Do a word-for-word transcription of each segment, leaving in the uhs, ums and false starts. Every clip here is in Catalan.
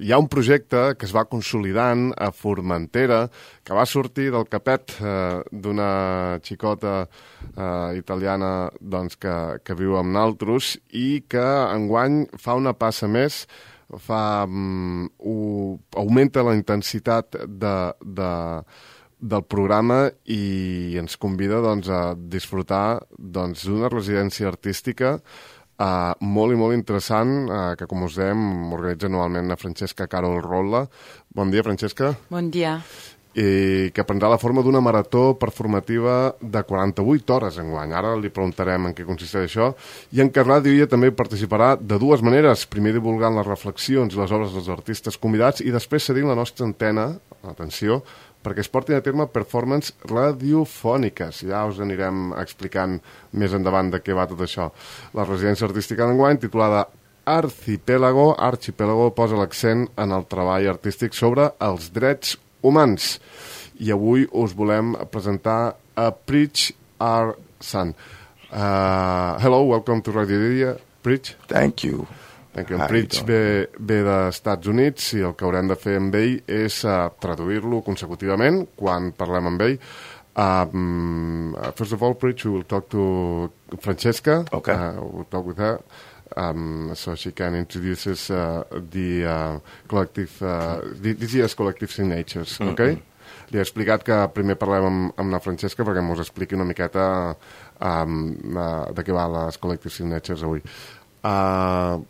hi ha un projecte que es va consolidant a Formentera, que va sortir del capet eh, d'una xicota eh, italiana doncs, que, que viu amb naltros i que enguany fa una passa més, fa, um, ho, augmenta la intensitat de, de, del programa i ens convida doncs, a disfrutar doncs, d'una residència artística Uh, molt i molt interessant, uh, que com us dèiem organitza anualment la Francesca Carol Rolla. Bon dia, Francesca. Bon dia. I que prendrà la forma d'una marató performativa de quaranta-vuit hores enguany. Ara li preguntarem en què consisteix això. I en què Ràdio Illa també participarà de dues maneres. Primer divulgant les reflexions i les obres dels artistes convidats i després cedint la nostra antena, atenció, perquè es portin a terme performances radiofòniques. Ja us anirem explicant més endavant de què va tot això. La residència artística d'enguany, titulada Arcipélago, Archipélago, posa l'accent en el treball artístic sobre els drets humans. I avui us volem presentar a Preach Our Son. Uh, hello, welcome to Radio Illa. Preach. Thank you. En Preach ve, ve dels Estats Units i el que haurem de fer amb ell és uh, traduir-lo consecutivament quan parlem amb ell. Um, first of all, Preach, we will talk to Francesca. Okay. Uh, we'll talk with her um, so she can introduce us uh, the uh, collective, uh, this year's collective signatures, mm-hmm. Okay? Li he explicat que primer parlem amb, amb la Francesca perquè mos expliqui una miqueta um, uh, de què va les collective signatures avui. Uh,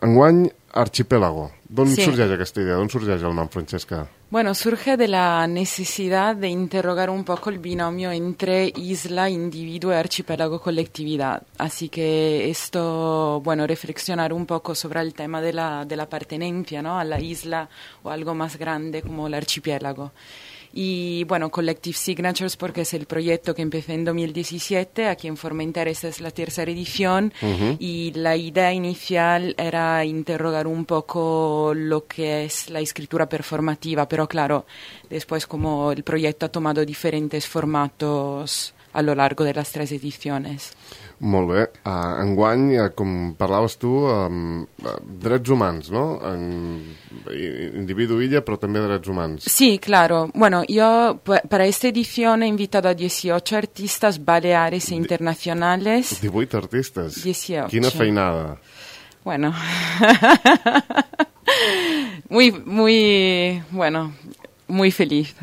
Enguany, Archipélago. ¿D'on sí. sorgeix aquesta idea? ¿D'on sorgeix el nom, Francesca? Bueno, surge de la necesidad de interrogar un poco el binomio entre isla, individuo y archipiélago, colectividad. Así que esto, bueno, reflexionar un poco sobre el tema de la, de la pertenencia, ¿no?, a la isla o algo más grande como el archipiélago. Y bueno, Collective Signatures porque es el proyecto que empecé en dos mil diecisiete, aquí en Formentera esta es la tercera edición, uh-huh. Y la idea inicial era interrogar un poco lo que es la escritura performativa, pero claro, después como el proyecto ha tomado diferentes formatos a lo largo de las tres ediciones. Molt bé. Uh, enguany, uh, com parlaves tu, um, uh, drets humans, ¿no? En, individu illa, però també drets humans. Sí, claro. Bueno, yo para esta edición he invitado a dieciocho artistas baleares e internacionales. divuit artistes? dieciocho. Quina feinada. Bueno. muy, muy, bueno, muy feliz.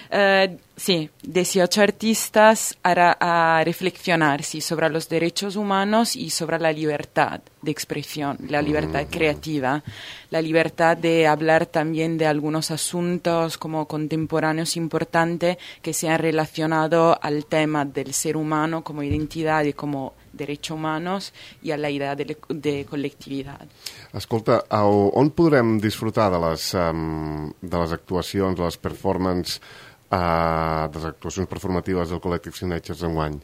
Uh, sí, dieciocho artistas a, a reflexionar sí, sobre los derechos humanos y sobre la libertad de expresión, la libertad mm-hmm. creativa, la libertad de hablar también de algunos asuntos como contemporáneos importantes que se han relacionado al tema del ser humano como identidad y como derechos humanos i a la idea de, de col·lectivitat. Escolta, on podrem disfrutar de les, um, de les actuacions, de les performances, uh, de les actuacions performatives del Collective Signatures enguany?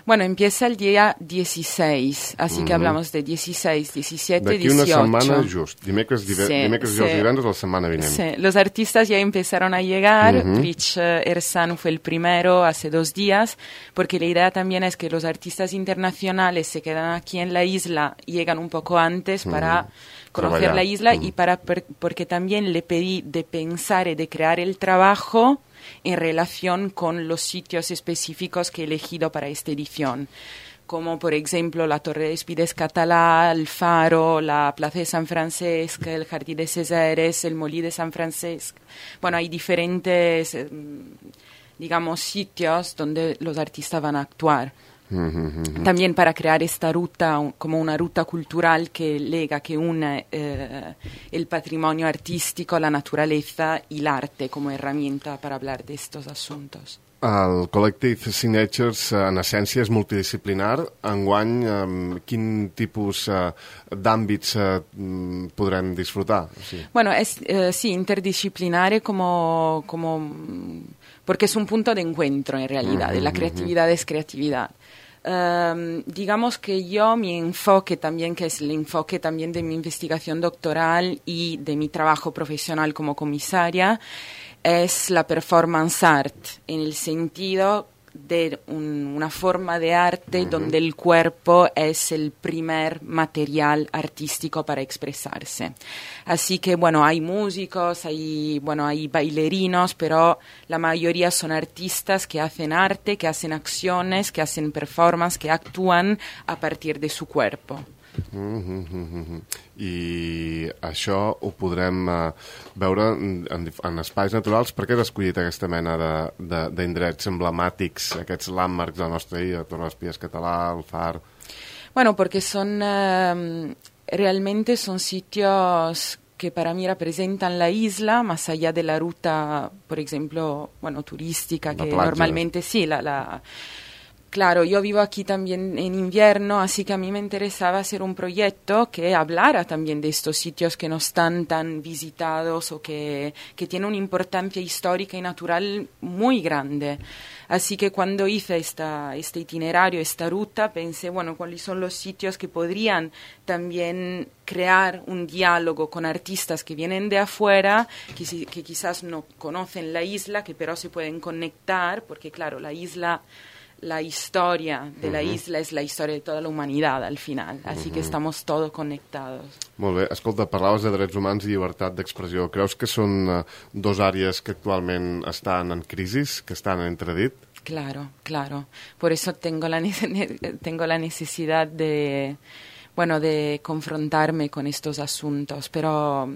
Bueno, empieza el día dieciséis, así mm-hmm. que hablamos de dieciséis, diecisiete, D'aquí dieciocho. D'aquí una setmana just, dimecres, dive- sí, dimecres sí. i els divendres la setmana vinent. Sí, los artistas ya empezaron a llegar, mm-hmm. Rich Ersan fue el primero hace dos días, porque la idea también es que los artistas internacionales se quedan aquí en la isla, llegan un poco antes mm-hmm. para conocer Traballar. la isla mm-hmm. y para per- porque también le pedí de pensar y de crear el trabajo en relación con los sitios específicos que he elegido para esta edición, como por ejemplo la Torre de Espides Català, el Faro, la Plaza de San Francesc, el Jardín de Césares, el Molí de San Francesc. Bueno, hay diferentes, eh, digamos, sitios donde los artistas van a actuar. Mm-hmm. También para crear esta ruta como una ruta cultural que lega, que une eh, el patrimonio artístico, la naturaleza y el arte como herramienta para hablar de estos asuntos. El Collective Signatures, en essència, és multidisciplinar. Enguany, eh, quin tipus eh, d'àmbits eh, podrem disfrutar? Sí. Bueno, es eh, sí, interdisciplinario como, como, porque es un punto de encuentro en realidad, mm-hmm. la creatividad es creatividad. Um, digamos que yo, mi enfoque también, que es el enfoque también de mi investigación doctoral y de mi trabajo profesional como comisaria, es la performance art, en el sentido de un, una forma de arte uh-huh. donde el cuerpo es el primer material artístico para expresarse. Así que, bueno, hay músicos, hay, bueno, hay bailarinos, pero la mayoría son artistas que hacen arte, que hacen acciones, que hacen performance, que actúan a partir de su cuerpo. Mm-hmm, mm-hmm. I això ho podrem uh, veure en, en espais naturals. Per què has escollit aquesta mena d'indrets emblemàtics, aquests landmarks de la nostra illa, Torre d'Espies Català, el Far? Bueno, porque son uh, realmente son sitios que para mí representan la isla, más allá de la ruta, por ejemplo, bueno, turística, la que playa. Normalmente sí, la... la Claro, yo vivo aquí también en invierno, así que a mí me interesaba hacer un proyecto que hablara también de estos sitios que no están tan visitados o que, que tienen una importancia histórica y natural muy grande. Así que cuando hice esta, este itinerario, esta ruta, pensé, bueno, cuáles son los sitios que podrían también crear un diálogo con artistas que vienen de afuera, que, que quizás no conocen la isla, que pero se pueden conectar, porque claro, la isla... La historia de la uh-huh. isla és la història de tota la humanitat, al final. Així uh-huh. que estamos todos conectados. Molt bé. Escolta, parlaves de drets humans i llibertat d'expressió. Creus que són uh, dos àrees que actualment estan en crisi, que estan en entredit? Claro, claro. Por eso tengo la, ne- tengo la necesidad de, bueno, de confrontarme con estos asuntos, pero...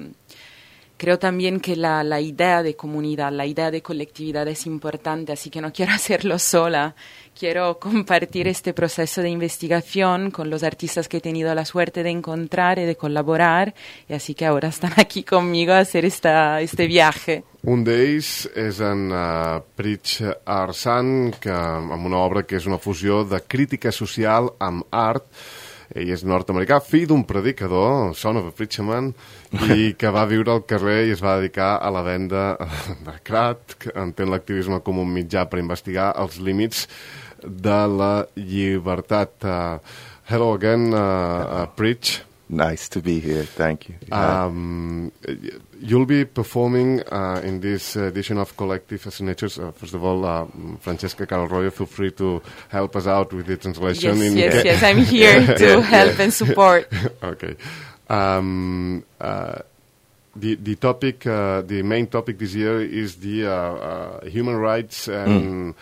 Creo también que la, la idea de comunidad, la idea de colectividad es importante, así que no quiero hacerlo sola. Quiero compartir este proceso de investigación con los artistas que he tenido la suerte de encontrar y de colaborar, y así que ahora están aquí conmigo a hacer esta, este viaje. Un d'ells és en uh, Prich Arsan, que, amb una obra que és una fusió de crítica social amb art. Ell és nord-americà, fill d'un predicador, son of a preacher man, i que va viure al carrer i es va dedicar a la venda de crack, que entén l'activisme com un mitjà per investigar els límits de la llibertat. Uh, hello again, uh, uh, Preach. Nice to be here, thank you. Um, you'll be performing uh, in this edition of Collective Signatures. Uh, first of all, uh, Francesca Carol-Royo, feel free to help us out with the translation. Yes, in yes, ca- yes, I'm here to help and support. Okay. Um, uh, the the topic, uh, the main topic this year is the uh, uh, human rights and mm.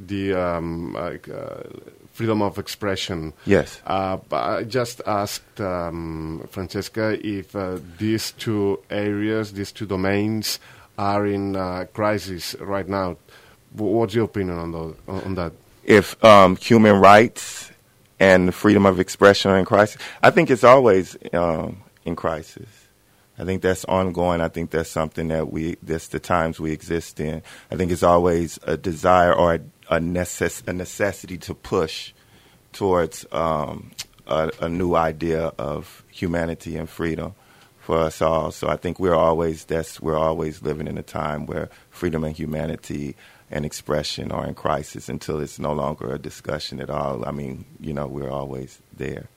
the um, like, uh, freedom of expression. Yes. Uh, I just asked um, Francesca if uh, these two areas, these two domains, are in uh, crisis right now. What's your opinion on, those, on that? If um, human rights and freedom of expression are in crisis, I think it's always um, in crisis. I think that's ongoing. I think that's something that we, that's the times we exist in. I think it's always a desire or a A, necess- a necessity to push towards um, a, a new idea of humanity and freedom for us all. So I think we're always that's we're always living in a time where freedom and humanity and expression are in crisis until it's no longer a discussion at all. I mean, you know, we're always there.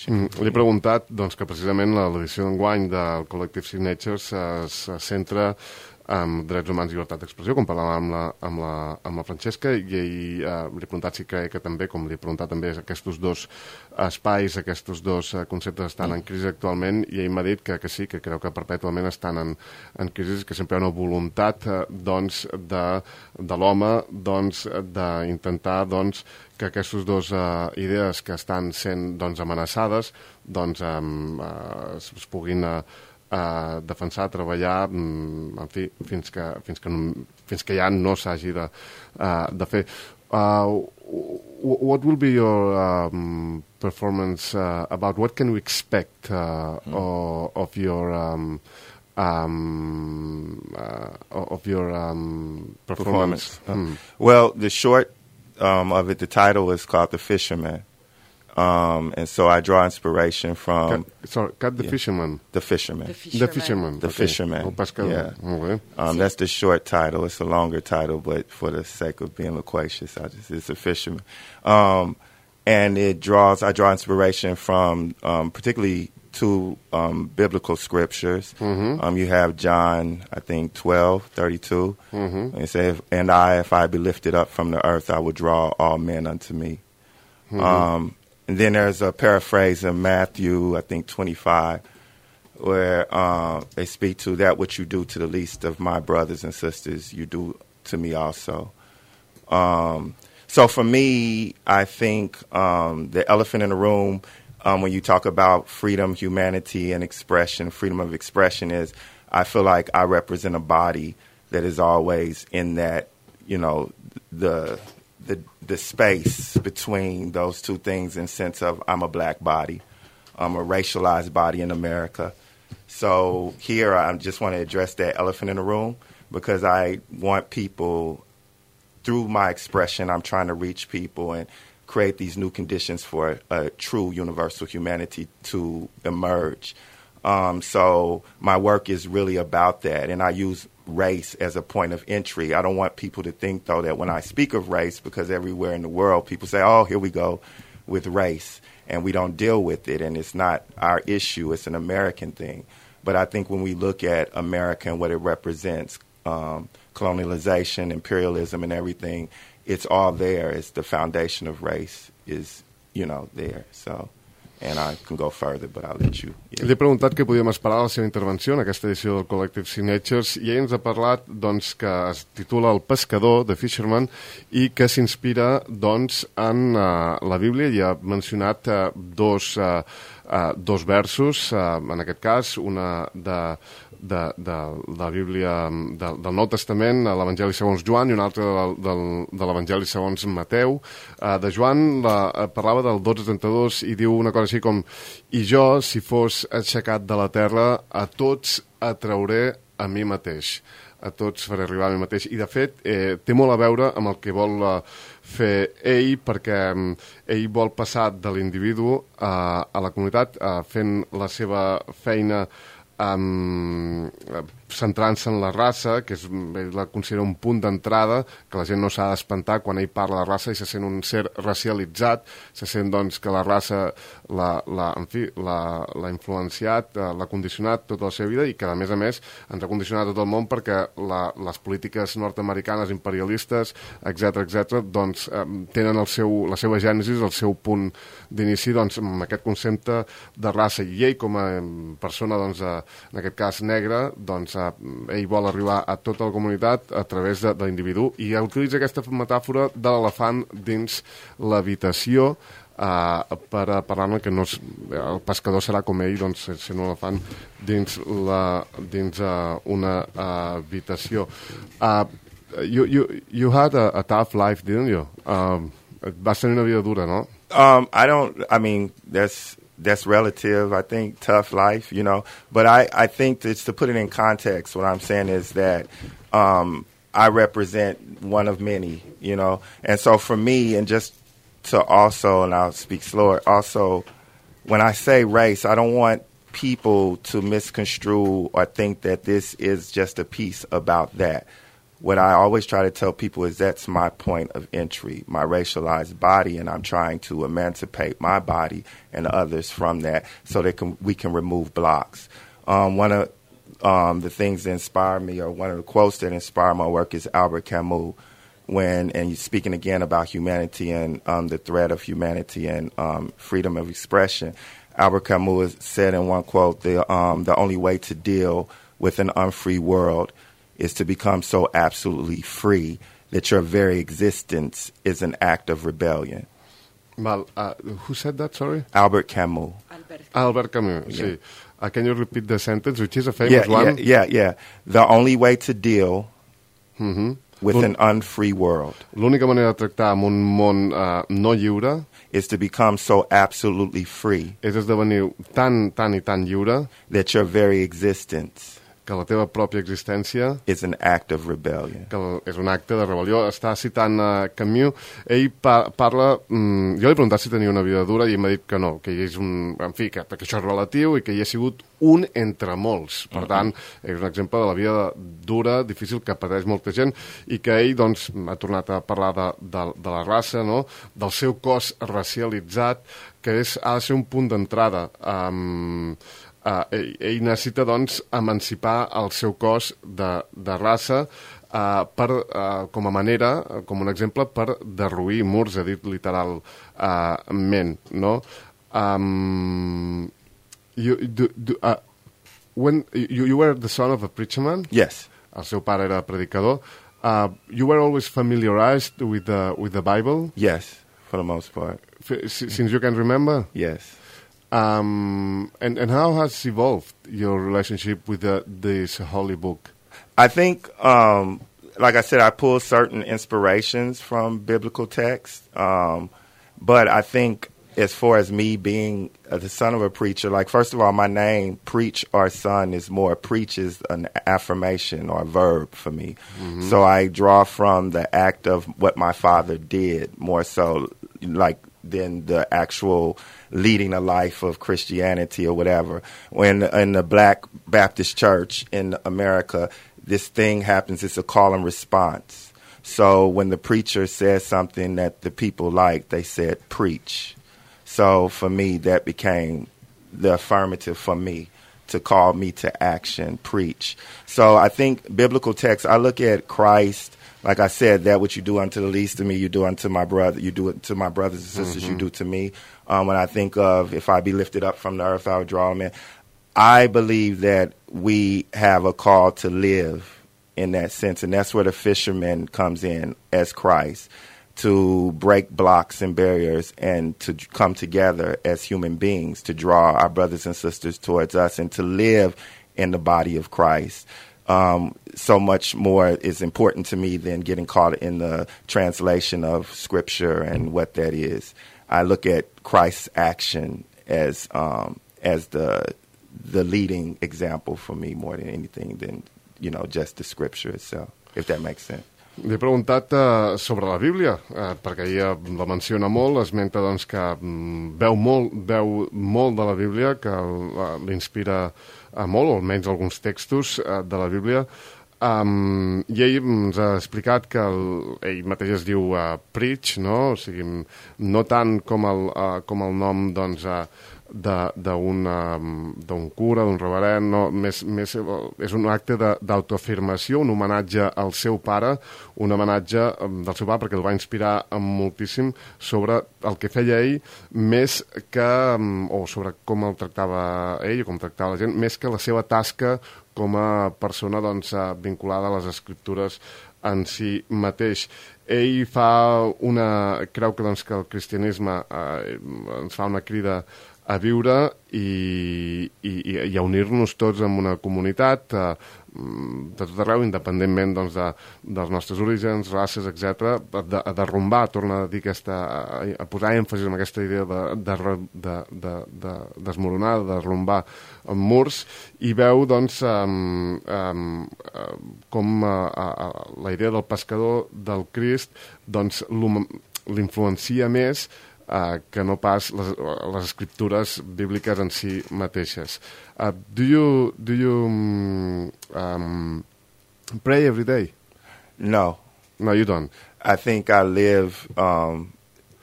Mm, li he preguntat doncs, que precisament l'edició d'enguany del Collective Signatures es, es centra amb drets humans i llibertat d'expressió, com parlàvem amb la, amb la, amb la Francesca, i ell eh, li he preguntat si creu que també, com li he preguntat també, aquests dos espais, aquests dos eh, conceptes estan en crisi actualment, i ell m'ha dit que, que sí, que creu que perpètuament estan en, en crisi, que sempre hi ha una voluntat eh, doncs, de, de l'home doncs, d'intentar doncs, que aquestes dues uh, idees que estan sent doncs, amenaçades doncs, um, uh, es, es puguin uh, uh, defensar, treballar, um, en fi, fins que, fins que, no, fins que ja no s'hagi de, uh, de fer. Uh, what will be your um, performance uh, about? What can we expect uh, mm. of, of your um, um, uh, of your um, performance? performance. Mm. Well, the short Um, of it, the title is called The Fisherman. Um, and so I draw inspiration from... Cat, sorry, Cat the yeah, Fisherman. The Fisherman. The Fisherman. The Fisherman. The okay. Fisherman. Yeah. Okay. Um, that's the short title. It's a longer title, but for the sake of being loquacious, I just, it's a fisherman. Um, and it draws, I draw inspiration from um, particularly two um, biblical scriptures. Mm-hmm. Um, you have John, I think, twelve thirty-two. Mm-hmm. And it says, "And I, if I be lifted up from the earth, I will draw all men unto me." Mm-hmm. Um, and then there's a paraphrase in Matthew, I think, twenty-five, where uh, they speak to that which you do to the least of my brothers and sisters, you do to me also. Um, so for me, I think um, the elephant in the room, um, when you talk about freedom, humanity, and expression, freedom of expression is, I feel like I represent a body that is always in that, you know, the the the space between those two things in sense of I'm a black body, I'm a racialized body in America. So here I just want to address that elephant in the room because I want people, through my expression, I'm trying to reach people and create these new conditions for a true universal humanity to emerge. Um, so my work is really about that, and I use race as a point of entry. I don't want people to think, though, that when I speak of race, because everywhere in the world people say, oh, here we go with race, and we don't deal with it, and it's not our issue, it's an American thing. But I think when we look at America and what it represents, um, colonialization, imperialism, and everything, it's all there. It's the foundation of race is, you know, there. So, and I can go further, but I'll let you. Yeah. Li he preguntat què podíem esperar de la seva intervenció en aquesta edició del Collective Signatures i ell ens ha parlat doncs, que es titula El pescador, de Fisherman, i que s'inspira doncs, en uh, la Bíblia i ha mencionat uh, dos, uh, uh, dos versos, uh, en aquest cas, una de... De, de, de la Bíblia de, del Nou Testament, l'Evangeli segons Joan, i un altre de, de, de l'Evangeli segons Mateu. Uh, de Joan la, uh, parlava del dotze trenta-dos i diu una cosa així com: i jo, si fos aixecat de la terra, a tots atrauré a mi mateix. A tots faré arribar a mi mateix. I de fet eh, té molt a veure amb el que vol uh, fer ell, perquè um, ell vol passar de l'individu uh, a la comunitat uh, fent la seva feina Um, centrant-se en la raça, que és, ell la considera un punt d'entrada, que la gent no s'ha d'espantar quan ell parla de raça i se sent un ser racialitzat, se sent doncs que la raça l'ha, la, en fi, l'ha influenciat, l'ha condicionat tota la seva vida i que a més a més ens ha condicionat tot el món perquè la, les polítiques nord-americanes imperialistes, etc etc, doncs eh, tenen el seu, la seva gènesis, el seu punt d'inici doncs, amb aquest concepte de raça, i ell com a persona doncs, eh, en aquest cas negre, doncs eh, ell vol arribar a tota la comunitat a través de, de l'individu, i utilitza aquesta metàfora de l'elefant dins l'habitació eh, per a parlar-ne que no és, el pescador serà com ell, doncs sent un elefant dins, la, dins uh, una uh, habitació. Uh, you, you, you had a, a tough life, didn't you? Um, vas tenir una vida dura, no? Um, I don't, I mean, that's that's relative. I think tough life, you know, but I, I think it's to put it in context. What I'm saying is that um, I represent one of many, you know, and so for me, and just to also, and I'll speak slower, also, when I say race, I don't want people to misconstrue or think that this is just a piece about that. What I always try to tell people is that's my point of entry, my racialized body, and I'm trying to emancipate my body and others from that so that can, we can remove blocks. Um, one of um, the things that inspire me, or one of the quotes that inspire my work, is Albert Camus. When, and you're speaking again about humanity and um, the threat of humanity and um, freedom of expression, Albert Camus said in one quote, the, um, the only way to deal with an unfree world is to become so absolutely free that your very existence is an act of rebellion. Well, uh, who said that, sorry? Albert Camus. Albert, Albert Camus, yeah. sí. Uh, can you repeat the sentence, which is a Yeah, famous yeah, one? yeah, yeah. The only way to deal Mm-hmm. with an unfree world L'única manera de tractar amb un món uh, no lliure is to become so absolutely free és esdevenir tan, tan i tan lliure that your very existence que la teva pròpia existència is an act of rebellion. que és un acte de rebel·lió. Està citant uh, Camus. Ell pa parla... Mm, jo li he preguntat si tenia una vida dura i ell m'ha dit que no, que ell és un... En fi, que, que això és relatiu i que ell ha sigut un entre molts. Per uh-huh. tant, és un exemple de la vida dura, difícil, que pateix molta gent i que ell, doncs, ha tornat a parlar de, de, de la raça, no? Del seu cos racialitzat, que és, ha de ser un punt d'entrada. Um, uh, ell, ell necessita, doncs, emancipar el seu cos de, de raça uh, per, uh, com a manera, com un exemple, per derruir murs, ha dit literalment, uh, no? Um, you, do, do, uh, when you, you were the son of a preacher man? Yes. El seu pare era predicador. Uh, you were always familiarized with the, with the Bible? Yes, for the most part. F since you can remember? Yes. Um, and, and how has evolved your relationship with the, this holy book? I think, um, like I said, I pull certain inspirations from biblical texts. Um, but I think as far as me being uh, the son of a preacher, like, first of all, my name, preach or son, is more, preach is an affirmation or a verb for me. Mm-hmm. So I draw from the act of what my father did more so, like, than the actual leading a life of Christianity or whatever. When in the Black Baptist Church in America, this thing happens, it's a call and response. So when the preacher says something that the people like, they said, preach. So for me, that became the affirmative for me to call me to action, preach. So I think biblical texts, I look at Christ, like I said, that what you do unto the least of me, you do unto my brother, you do it to my brothers and sisters, mm-hmm. you do to me. Um, when I think of, if I be lifted up from the earth, I would draw them in. I believe that we have a call to live in that sense, and that's where the fisherman comes in as Christ, to break blocks and barriers and to come together as human beings, to draw our brothers and sisters towards us and to live in the body of Christ. Um, so much more is important to me than getting caught in the translation of Scripture and what that is. I look at Christ's action as um, as the the leading example for me more than anything than, you know, just the Scripture itself, if that makes sense. Li he preguntat uh, sobre la Bíblia, uh, perquè ella la menciona molt, esmenta doncs, que um, veu, molt, veu molt de la Bíblia, que uh, l'inspira uh, molt, o almenys alguns textos uh, de la Bíblia, um, i ell ens ha explicat que el, ell mateix es diu uh, Preach, no? O sigui, no tant com el, uh, com el nom, doncs, uh, d'un cura, d'un reverend, no, més, més, és un acte d'autoafirmació, un homenatge al seu pare, un homenatge del seu pare perquè el va inspirar moltíssim sobre el que feia ell, més que, o sobre com el tractava ell, com tractava la gent, més que la seva tasca com a persona, doncs, vinculada a les escriptures en si mateix. Ell fa una... creu que, doncs, que el cristianisme eh, ens fa una crida a viure i, i, i a unir-nos tots en una comunitat eh, de tot arreu, independentment, doncs, de, dels nostres orígens, races, etcètera, de, a derrumbar, torna a dir aquesta, a, a posar èmfasis en aquesta idea de, de, de, de, de desmoronar, de derrumbar murs, i veu, doncs, um, um, com uh, uh, la idea del pescador del Crist, doncs, l'influencia més Uh, que no pas les, les escriptures bíbliques en si mateixes. Uh, do you do you um, um, pray every day? No. No, you don't. I think I live, um,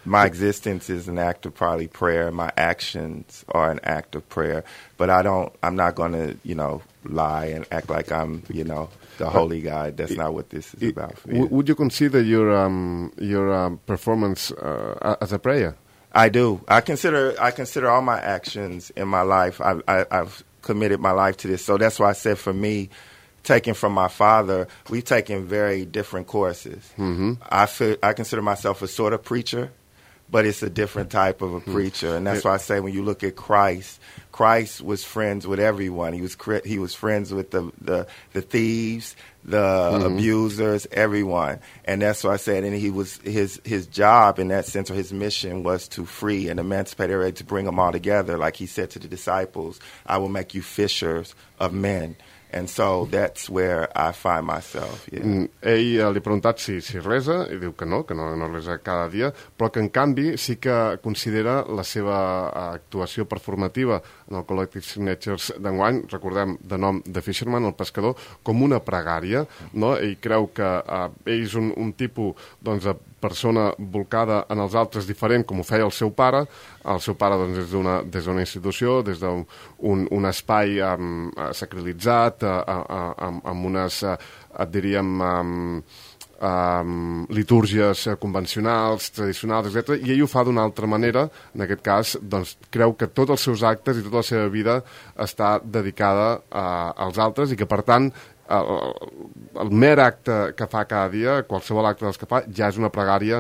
my existence is an act of probably prayer. My actions are an act of prayer. But I don't, I'm not going to, you know, lie and act like I'm, you know, the holy guy. That's it, not what this is it, about. For you. Would you consider your um, your um, performance uh, as a prayer? I do. I consider I consider all my actions in my life. I, I, I've committed my life to this. So that's why I said, for me, taking from my father, we've taken very different courses. Mm-hmm. I feel, I consider myself a sort of preacher, but it's a different type of a preacher. And that's why I say, when you look at Christ, Christ was friends with everyone. He was he was friends with the the, the thieves, the mm-hmm. abusers, everyone. And that's why I said, and he was his his job in that sense, or his mission, was to free and emancipate everybody, to bring them all together. Like he said to the disciples, I will make you fishers of men. And so that's where I find myself. Yeah. Mm, ell eh, li ha preguntat si, si resa, i diu que no, que no, no resa cada dia, però que en canvi sí que considera la seva actuació performativa en el Collective Signatures d'enguany, recordem, de nom de Fisherman, el pescador, com una pregària, no? Ell creu que eh, ell és un, un tipus, doncs, de persona volcada en els altres diferent, com ho feia el seu pare. El seu pare, doncs, des d'una des d'una institució, des d'un un, un espai um, sacralitzat, uh, uh, amb, amb unes, uh, et diríem, um, um, litúrgies convencionals, tradicionals, etcètera. I ell ho fa d'una altra manera. En aquest cas, doncs, creu que tots els seus actes i tota la seva vida està dedicada uh, als altres i que, per tant, El, el mer acte que fa cada dia, qualsevol acte dels que fa, ja és una pregària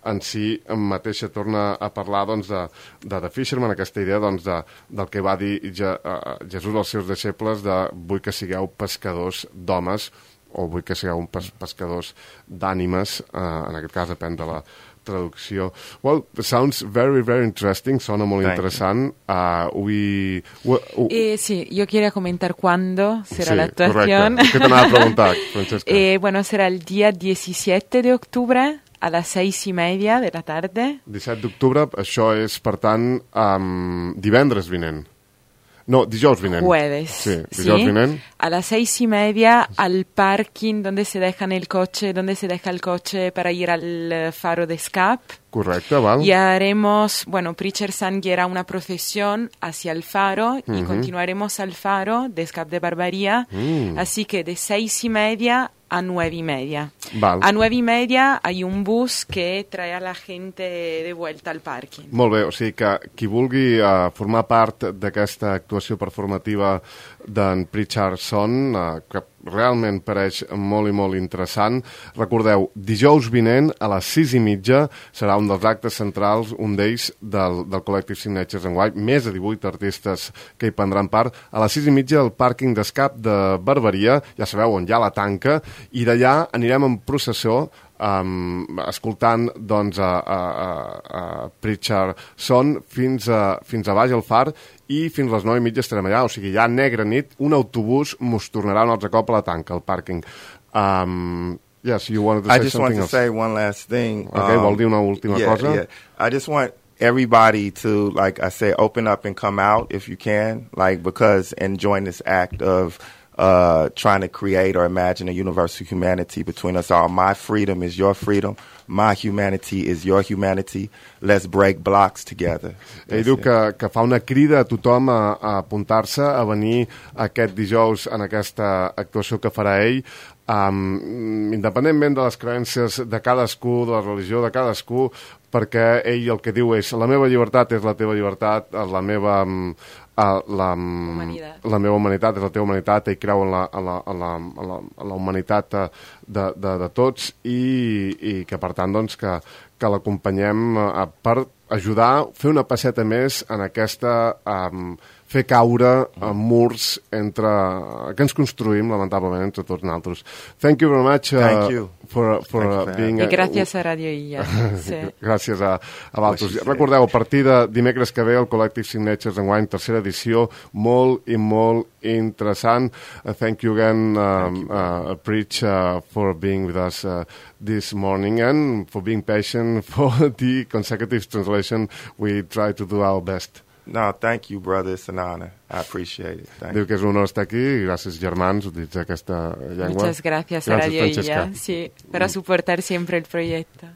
en si mateixa. Torna a parlar, doncs, de, de The Fisherman, aquesta idea, doncs, de, del que va dir Je, uh, Jesús als seus deixebles, de vull que sigueu pescadors d'homes, o vull que sigueu pes, pescadors d'ànimes, uh, en aquest cas depèn de la traducció. Well, sounds very, very interesting, sona molt Thank interessant. Uh, we, we, uh, eh, sí, yo quería comentar cuándo será sí, la actuación. Correcte. ¿Qué te anava a preguntar, Francesca? eh, bueno, será el día diecisiete de octubre a las seis y media de la tarde. disset d'octubre, això és, per tant, um, divendres vinent. No, dijous vinent. Jueves. Sí, dijous ¿sí? vinent. A las seis y media al parking donde se dejan el coche, donde se deja el coche para ir al faro de Scap. Correcte, val. Y haremos, bueno, Preacher Sun guiará una procesión hacia el faro y Uh-huh. continuaremos al faro de Scap de Barbaría. Mm. Así que de seis y media a nueve y media. Val. A nueve y media hay un bus que trae a la gente de vuelta al parking. Molt bé, o sigui que qui vulgui uh, formar part d'aquesta actuació performativa d'en Pritchard Son, uh, que realment pareix molt i molt interessant. Recordeu, dijous vinent a les sis i mitja serà un dels actes centrals, un d'ells del, del Collective Signatures enguany, més de divuit artistes que hi prendran part. A les sis i mitja al pàrquing d'Escap de Barbaria, ja sabeu on hi ha la tanca, i d'allà anirem en processó Um, escoltant, doncs, a, a, a, a Pritchard Son fins a, fins a baix al far, i fins a les nou i mitja estarem allà. O sigui, ja negra nit, un autobús mos tornarà un altre cop a la tanca, al pàrquing. Um, yes, you wanted to say I just something want to else. say one last thing. Okay, vol dir una última yeah, cosa? Yeah. I just want everybody to, like I say, open up and come out if you can, like, because, and join this act of uh, trying to create or imagine a universal humanity between us all. My freedom is your freedom. My humanity is your humanity. Let's break blocks together. Ell diu que, que fa una crida a tothom a, a apuntar-se, a venir aquest dijous en aquesta actuació que farà ell, um, independentment de les creences de cadascú, de la religió de cadascú, perquè ell el que diu és la meva llibertat és la teva llibertat, la meva... Um, Uh, la, la meva humanitat és la teva humanitat. Ell creu en la, en la, en la, en la, en la humanitat de, de, de tots, i, i que per tant, doncs, que, que l'acompanyem uh, per ajudar, fer una passeta més en aquesta um, fer caure uh, murs entre, uh, que ens construïm lamentablement entre tots nosaltres. Thank you very much uh, Thank you. for, for uh, being I gràcies a Radio Illa. Sí. Gràcies a, a Valtos. Recordeu, a partir de dimecres que ve el Collective Signatures enguany, tercera edició, molt i molt interessant. Uh, thank you again, um, you, uh, Preach, uh, for being with us uh, this morning, and for being patient for the consecutive translation. We try to do our best. No, thank you, brother. It's an honor. I appreciate it. Thank Diu que és un honor estar aquí, i gràcies, germans, utilitzar aquesta llengua. Muchas gracias a Radio Illa, sí, para soportar siempre el proyecto.